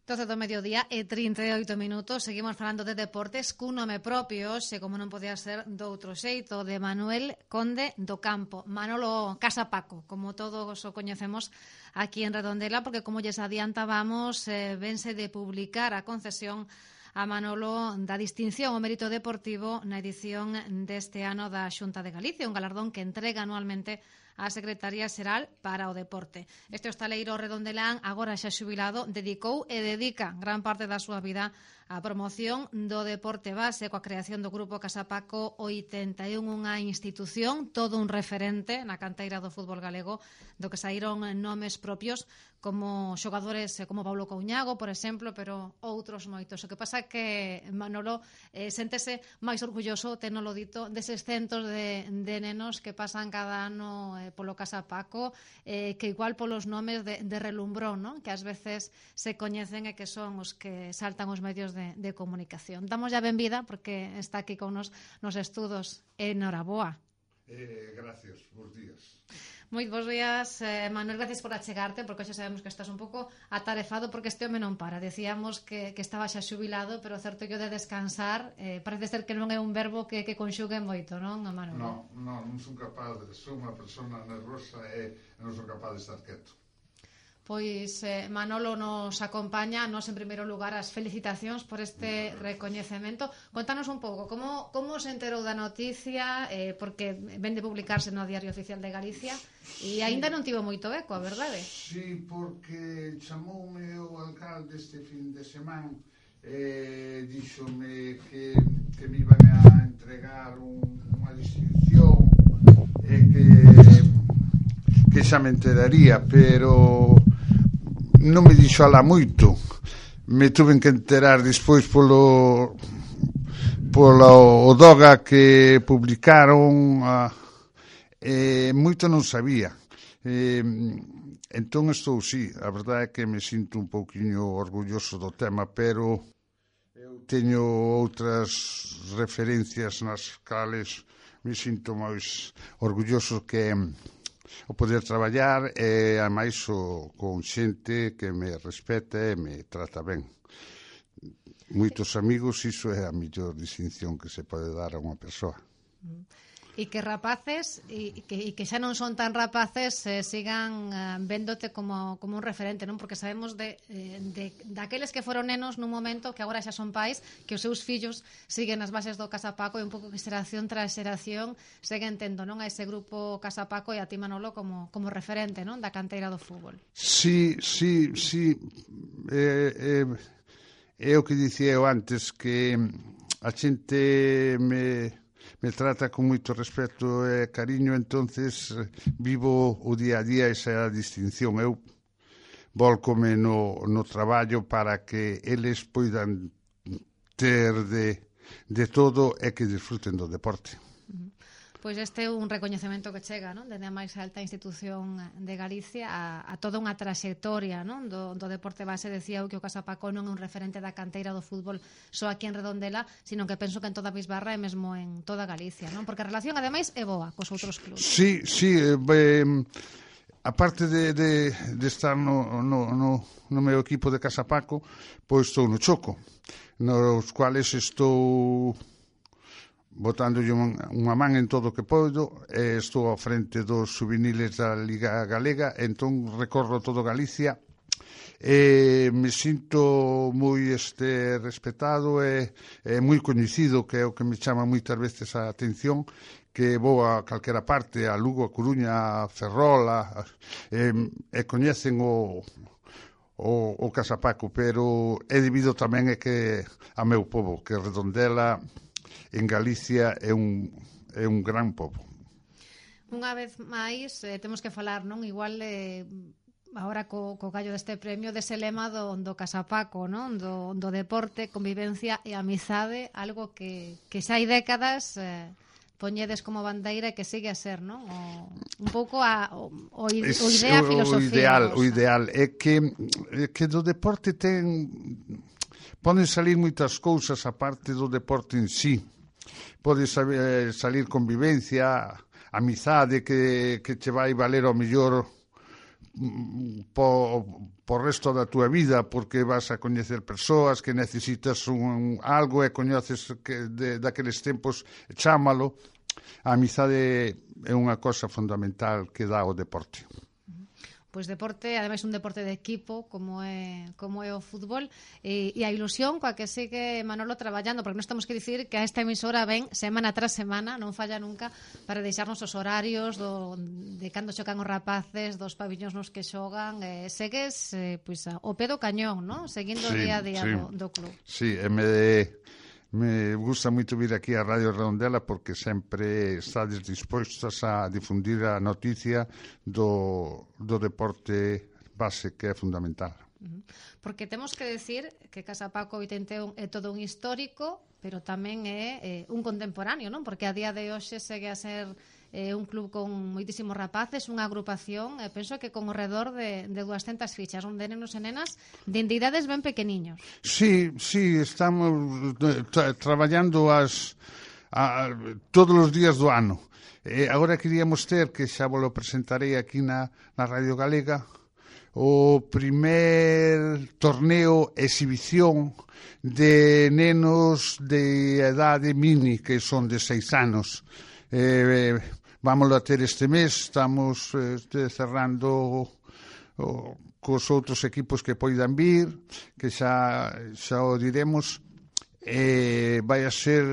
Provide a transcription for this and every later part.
12 do mediodía e 38 minutos. Seguimos falando de deportes cun nome propio, e como non podía ser doutro xeito, de Manuel Conde do Campo, Manolo Casapaco, como todos o coñecemos aquí en Redondela, porque como lles adiantábamos, vense de publicar a concesión a Manolo da distinción ao mérito deportivo na edición deste ano da Xunta de Galicia, un galardón que entrega anualmente a Secretaría Xeral para o Deporte. Este hostaleiro redondelán, agora xa xubilado, dedicou e dedica gran parte da súa vida a promoción do deporte base coa creación do Grupo Casapaco 81, unha institución, todo un referente na canteira do fútbol galego, do que saíron nomes propios como xogadores como Paulo Couñago, por exemplo, pero outros moitos. O que pasa é que Manolo séntese máis orgulloso, tenolo dito, deses centos de nenos que pasan cada ano polo Casapaco, que igual polos nomes de relumbrón, non? Que ás veces se coñecen e que son os que saltan os medios de comunicación. Damos ya benvida porque está aquí con nos estudos. Enhoraboa. Gracias, bons días. Moi bons días, Manuel, gracias por achegarte, porque xa sabemos que estás un pouco atarefado porque este home non para. Decíamos que estaba xa xubilado, pero certo que o de descansar parece ser que non é un verbo que conxugue moito, non, Manuel? Non son capaz, sou unha persona nervosa e non son capaz de estar quieto. Pois Manolo nos acompaña, nos en primeiro lugar as felicitacións por este recoñecemento. Contanos un pouco, como se enterou da noticia, porque ven de publicarse no Diario Oficial de Galicia e aínda non tivo moito eco, a verdade? Sí, porque chamoume o alcalde este fin de semana díxome que me iban a entregar unha distinción e que xa me enteraría, pero non me dixo alá moito. Me tuve que enterar despois polo Doga que publicaron, moito non sabía. Entón estou, sí, a verdade é que me sinto un pouquiño orgulloso do tema, pero eu teño outras referencias nas cales me sinto máis orgulloso, que o poder traballar e ademais con xente que me respeta e me trata ben. Moitos amigos, iso é a mellor distinción que se pode dar a unha persoa. E que rapaces e que xa non son tan rapaces sigan véndote como un referente, non? Porque sabemos daqueles que foron nenos nun momento que agora xa son pais, que os seus fillos siguen as bases do Casapaco e un pouco que xeración tras xeración seguen tendo, non, a ese grupo Casapaco e a ti, Manolo, como referente, non, da canteira do fútbol. Sí. É o que dicía eu antes, que a xente me trata con moito respeto e cariño, entonces vivo o día a día esa distinción. Eu volcome no traballo para que eles poidan ter de todo e que disfruten do deporte. Pois este é un recoñecemento que chega, non, dende a máis alta institución de Galicia a toda unha traxectoria, non, do deporte base. Decía eu que o Casapaco non é un referente da canteira do fútbol só aquí en Redondela, sino que penso que en toda a Bisbarra e mesmo en toda Galicia, non? Porque a relación, ademais, é boa cos outros clubes. Sí, aparte de estar no meu equipo de Casapaco, pois estou no Choco, nos cuales estou botándolle unha man en todo o que podo, estou ao frente dos juveniles da Liga Galega, entón recorro todo Galicia e me sinto moi respetado e moi coñecido, que é o que me chama moitas veces a atención, que vou a calquera parte, a Lugo, a Coruña, a Ferrol, e coñecen o Casapaco, pero é debido tamén a que a meu pobo, que Redondela en Galicia é un gran pobo. Unha vez máis temos que falar, non, igual agora co gallo deste premio, dese lema do Casapaco, non, do deporte, convivencia e amizade, algo que xa hai décadas poñedes como bandeira e que sigue a ser, non? Un pouco o idea, a filosofía. O ideal é que do deporte poden salir moitas cousas a parte do deporte en sí. Pode salir convivencia, amizade que che vai valer ao mellor por resto da túa vida, porque vas a coñecer persoas que necesitas algo e coñeces daqueles tempos, chámalo. A amizade é unha cosa fundamental que dá o deporte. Pois deporte, ademais un deporte de equipo como é o fútbol, e a ilusión coa que sigue Manolo traballando, porque nós temos que dicir que a esta emisora ven semana tras semana, non falla nunca, para deixarnos os horarios de cando xocan os rapaces, dos pabillóns nos que xogan, segues pois o pé do cañón, non? Seguindo o día a día do club. Sí, me gusta moito vir aquí a Radio Redondela porque sempre estades dispostas a difundir a noticia do deporte base, que é fundamental. Porque temos que decir que Casa Paco 81 é todo un histórico, pero tamén é un contemporáneo, non? Porque a día de hoxe segue a ser un club con moitísimos rapaces, unha agrupación, penso que con ao redor de 200 fichas, onde nenos e nenas de entidades ben pequeniños. Sí, estamos traballando todos os días do ano. Agora queríamos ter, que xa vos lo presentarei aquí na Radio Galega, o primer torneo exhibición de nenos de edade mini, que son de 6 anos. Vámoslo a ter este mes, estamos cerrando cos outros equipos que poidan vir, que xa o diremos. Vai a ser,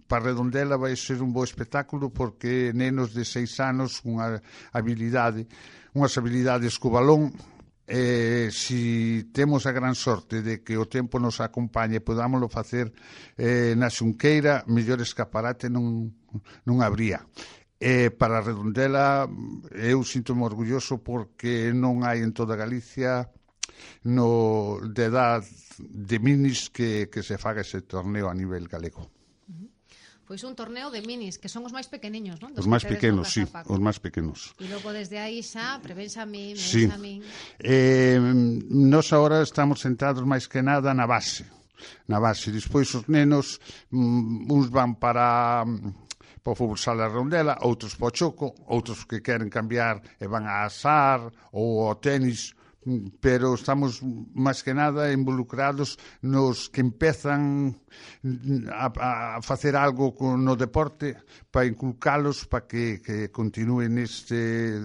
para Redondela, vai ser un bo espectáculo, porque nenos de 6 anos, unhas habilidades co balón, si temos a gran sorte de que o tempo nos acompañe e podámoslo facer na Xunqueira, mellor escaparate non habría. Para Redondela eu sinto-me orgulloso porque non hai en toda Galicia de edad de minis que se faga ese torneo a nivel galego. Pois un torneo de minis, que son os máis pequeniños, non? Os máis pequenos, sí, os máis pequenos. E logo desde aí xa, prebenxamín, sí. Nós agora estamos centrados máis que nada na base. Despois os nenos, uns van para o fútbol sala Redondela, outros para o choco, outros que queren cambiar e van a asar ou ao tenis, pero estamos máis que nada involucrados nos que empezan a facer algo no deporte, para inculcalos, para que continúen neste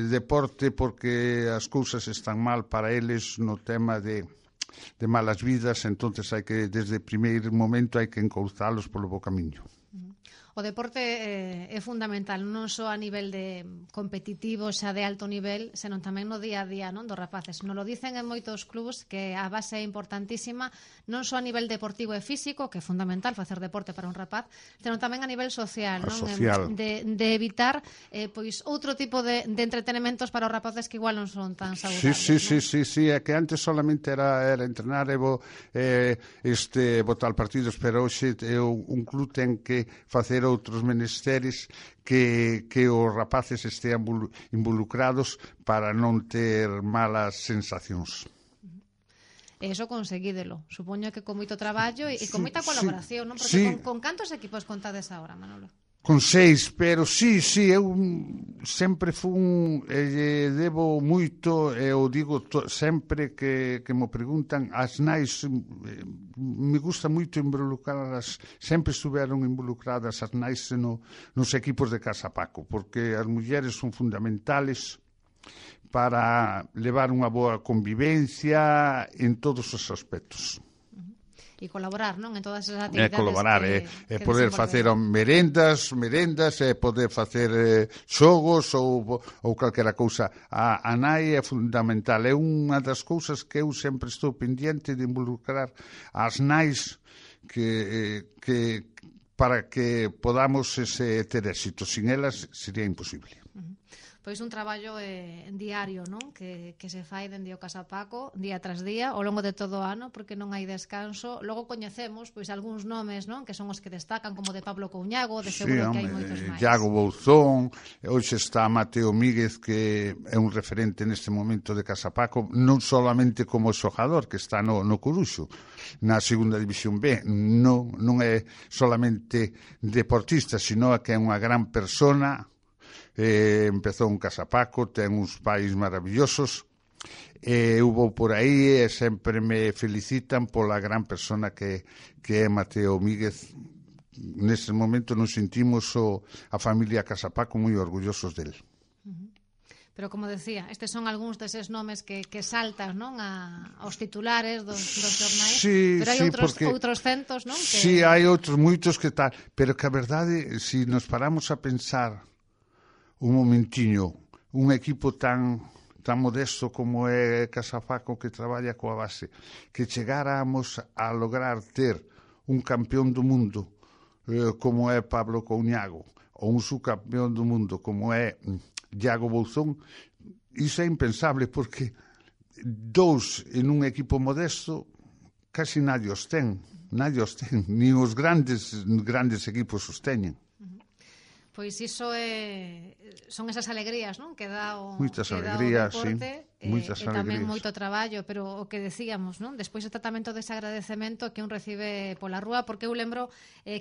deporte, porque as cousas están mal para eles no tema de malas vidas, entonces hai que, desde o primeiro momento, hai que encauzalos polo bo camiño. O deporte é fundamental, non só a nivel de competitivo, xa de alto nivel, senón tamén no día a día, non, dos rapaces. Nos lo dicen en moitos clubs que a base é importantísima, non só a nivel deportivo e físico, que é fundamental facer deporte para un rapaz, senón tamén a nivel social, non? De evitar pois outro tipo de entretenementos para os rapaces que igual non son tan saudables. Sí, é que antes solamente era entrenar e botar partidos, pero hoxe un club ten que facer outros menesteres que os rapaces estean involucrados para non ter malas sensacións. E iso conseguídelo. Supoño que con moito traballo e con moita colaboración, non? Porque con cantos equipos contades agora, Manolo? Con 6, pero sí, eu sempre fun, debo moito, eu digo sempre que me preguntan, as nais, me gusta moito involucradas, sempre estuveron involucradas as nais nos equipos de Casa Paco, porque as mulleres son fundamentales para levar unha boa convivencia en todos os aspectos. E colaborar, non, en todas esas actividades. Colaborar, poder facer merendas, poder facer xogos ou calquera cousa. A nai é fundamental, é unha das cousas que eu sempre estou pendiente de involucrar as nais para que podamos ter éxito. Sin elas sería imposible. Pois un traballo diario, non? Que se fai dende o Casa Paco día tras día, ao longo de todo o ano, porque non hai descanso. Logo coñecemos pois algúns nomes, non? Que son os que destacan, como de Pablo Couñago, de seguro que hai moitos máis. Iago Bouzón, hoxe está Mateo Míguez, que é un referente neste momento de Casa Paco, non solamente como xogador, que está no Coruxo, na segunda división B, non é solamente deportista, sino que é unha gran persona, empezou en Casapaco, ten uns pais maravillosos, hubo por aí e sempre me felicitan pola gran persona que é Mateo Míguez. Nese momento nos sentimos a familia Casapaco moi orgullosos del. Pero, como decía, estes son algúns deses nomes que saltan, non, aos titulares dos xornais, sí, pero hai outros centos, non? Sí, hai outros moitos que tal, pero que a verdade, se nos paramos a pensar un momentiño, un equipo tan modesto como é Casapaco, que traballa coa base, que chegáramos a lograr ter un campeón do mundo como é Pablo Couñago, ou un subcampeón do mundo como é Iago Bouzón, iso é impensable, porque dous en un equipo modesto casi nadie os ten, nin os grandes equipos os teñen. Pois iso son esas alegrías, non? Que dá o sí, deporte, moitas e tamén alegrías. moito traballo, pero o que decíamos, non? Despois o tratamento dese agradecemento que un recibe pola rúa, porque eu lembro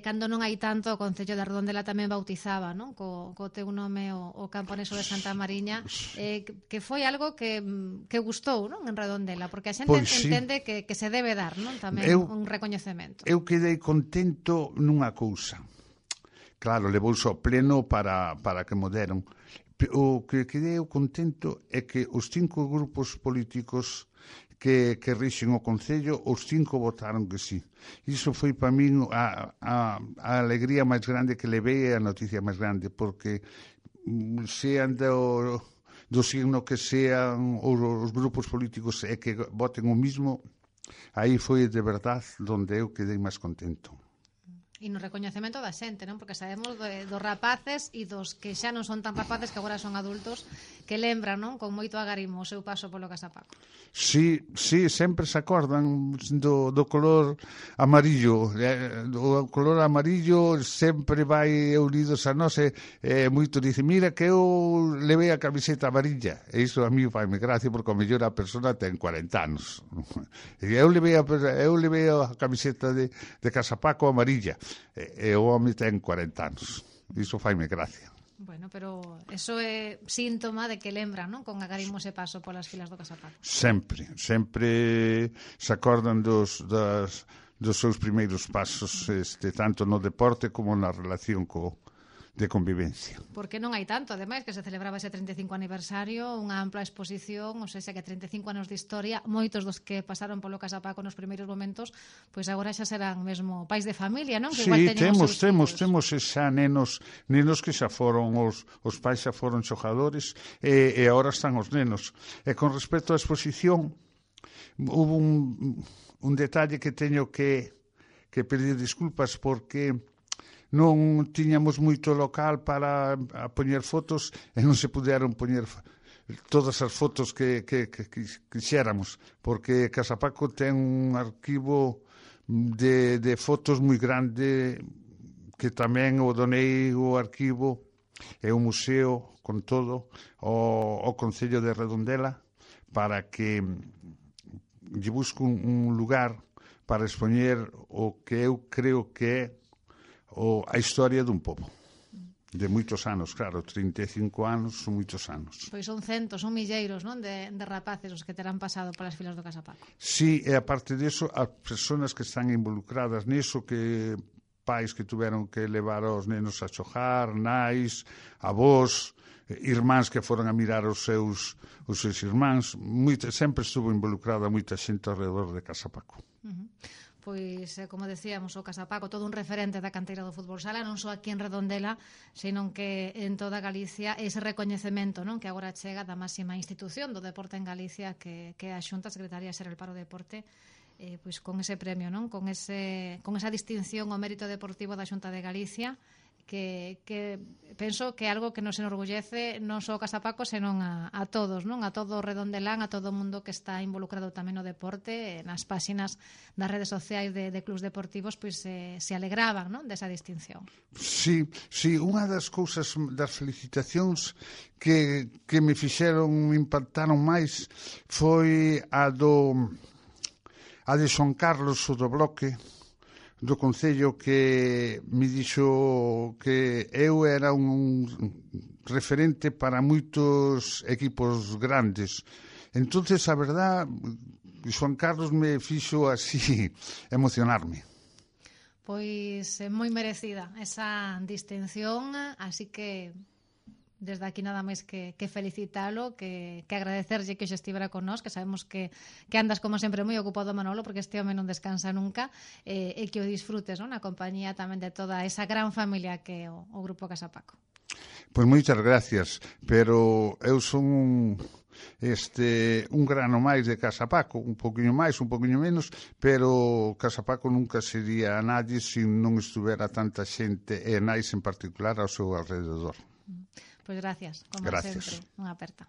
cando non hai tanto, o Concello de Redondela tamén bautizaba, non? Co teu nome o campo anexo de Santa Mariña, que foi algo que gustou, non? En Redondela, porque a xente entende que se debe dar, non? Tamén un recoñecemento. Eu quedei contento nunha cousa. Claro, levouse ao pleno para que mo deron. O que quedei contento é que os 5 grupos políticos que rixen o Concello, os 5 votaron que sí. Iso foi para min a alegría máis grande que levei, a noticia máis grande, porque sean do signo que sean os grupos políticos e que voten o mismo, aí foi de verdade onde eu quedei máis contento. E no recoñecemento da xente, non? Porque sabemos dos rapaces e dos que xa non son tan rapaces, que agora son adultos, que lembran, non? Con moito agarimo o seu paso polo Casapaco. Sí, sempre se acordan do color amarillo. O color amarillo sempre vai unidos a nós, e moito dice, mira que eu levei a camiseta amarilla. E iso a mí faime gracia, porque o mellor a persona ten 40 anos. E eu levei a camiseta de Casapaco amarilla. E o home ten 40 anos. Iso faime gracia. Bueno, pero eso é síntoma de que lembran, non? Con agarimo ese paso polas filas do Casapaco. Sempre se acordan dos seus primeiros pasos, tanto no deporte como na relación de convivencia. Porque non hai tanto, ademais, que se celebraba ese 35 aniversario, unha ampla exposición, ou seja, que 35 anos de historia, moitos dos que pasaron polo Casapaco nos primeiros momentos, pois agora xa serán mesmo pais de familia, non? Que sí, temos xa nenos que xa foron, os pais xa foron xogadores, e agora están os nenos. E con respecto á exposición, hubo un detalle que teño que pedir disculpas, porque non tiñamos moito local para poñer fotos e non se puderon poñer todas as fotos que quixéramos, porque Casapaco ten un arquivo de fotos moi grande, que tamén o donei o arquivo e o museo con todo o Concello de Redondela, para que lle busco un lugar para expoñer o que eu creo que é a historia dun pobo. De moitos anos, claro, 35 anos son moitos anos. Pois son centos, son milleiros, non? De rapaces os que terán pasado polas filas do Casapaco. Sí, e aparte disso, as persoas que están involucradas niso, que pais que tuveron que levar aos nenos a xogar, nais, avós, irmáns que foron a mirar os seus irmáns, sempre estuvo involucrada moita xente alrededor de Casapaco. Pois, como decíamos, o Casapaco, todo un referente da canteira do fútbol sala, non só aquí en Redondela, senón que en toda Galicia, ese recoñecemento, non? Que agora chega da máxima institución do deporte en Galicia, que é a Xunta Secretaría Xeral para o Deporte, pois con ese premio, non? Con esa distinción ao mérito deportivo da Xunta de Galicia, que penso que é algo que nos enorgullece non só o Casapaco, senón a todos, non? A todo o Redondelán, a todo o mundo que está involucrado tamén no deporte, nas páxinas das redes sociais de clubs deportivos, pois se alegraban, non? Desa distinción. Sí, unha das cousas, das felicitacións que me fixeron, me impactaron máis, foi a de Xoan Carlos, o do Bloque, do Concello que me dixo que eu era un referente para moitos equipos grandes. Entonces, a verdad, Xoan Carlos me fixo así emocionarme. Pois é moi merecida esa distinción, así que desde aquí nada máis que felicitalo, que agradecerlle que hoxe estivera con nós, que sabemos que andas como sempre moi ocupado, Manolo, porque este home non descansa nunca, e que o disfrutes, non? Na compañía tamén de toda esa gran familia que é o Grupo Casa Paco. Pois moitas gracias, pero eu son un grano máis de Casa Paco, un poquinho máis, un poquinho menos, pero Casa Paco nunca sería a nadie se non estuvera tanta xente, e nais en particular ao seu alrededor. Pois gracias, como Gracias. sempre, unha aperta.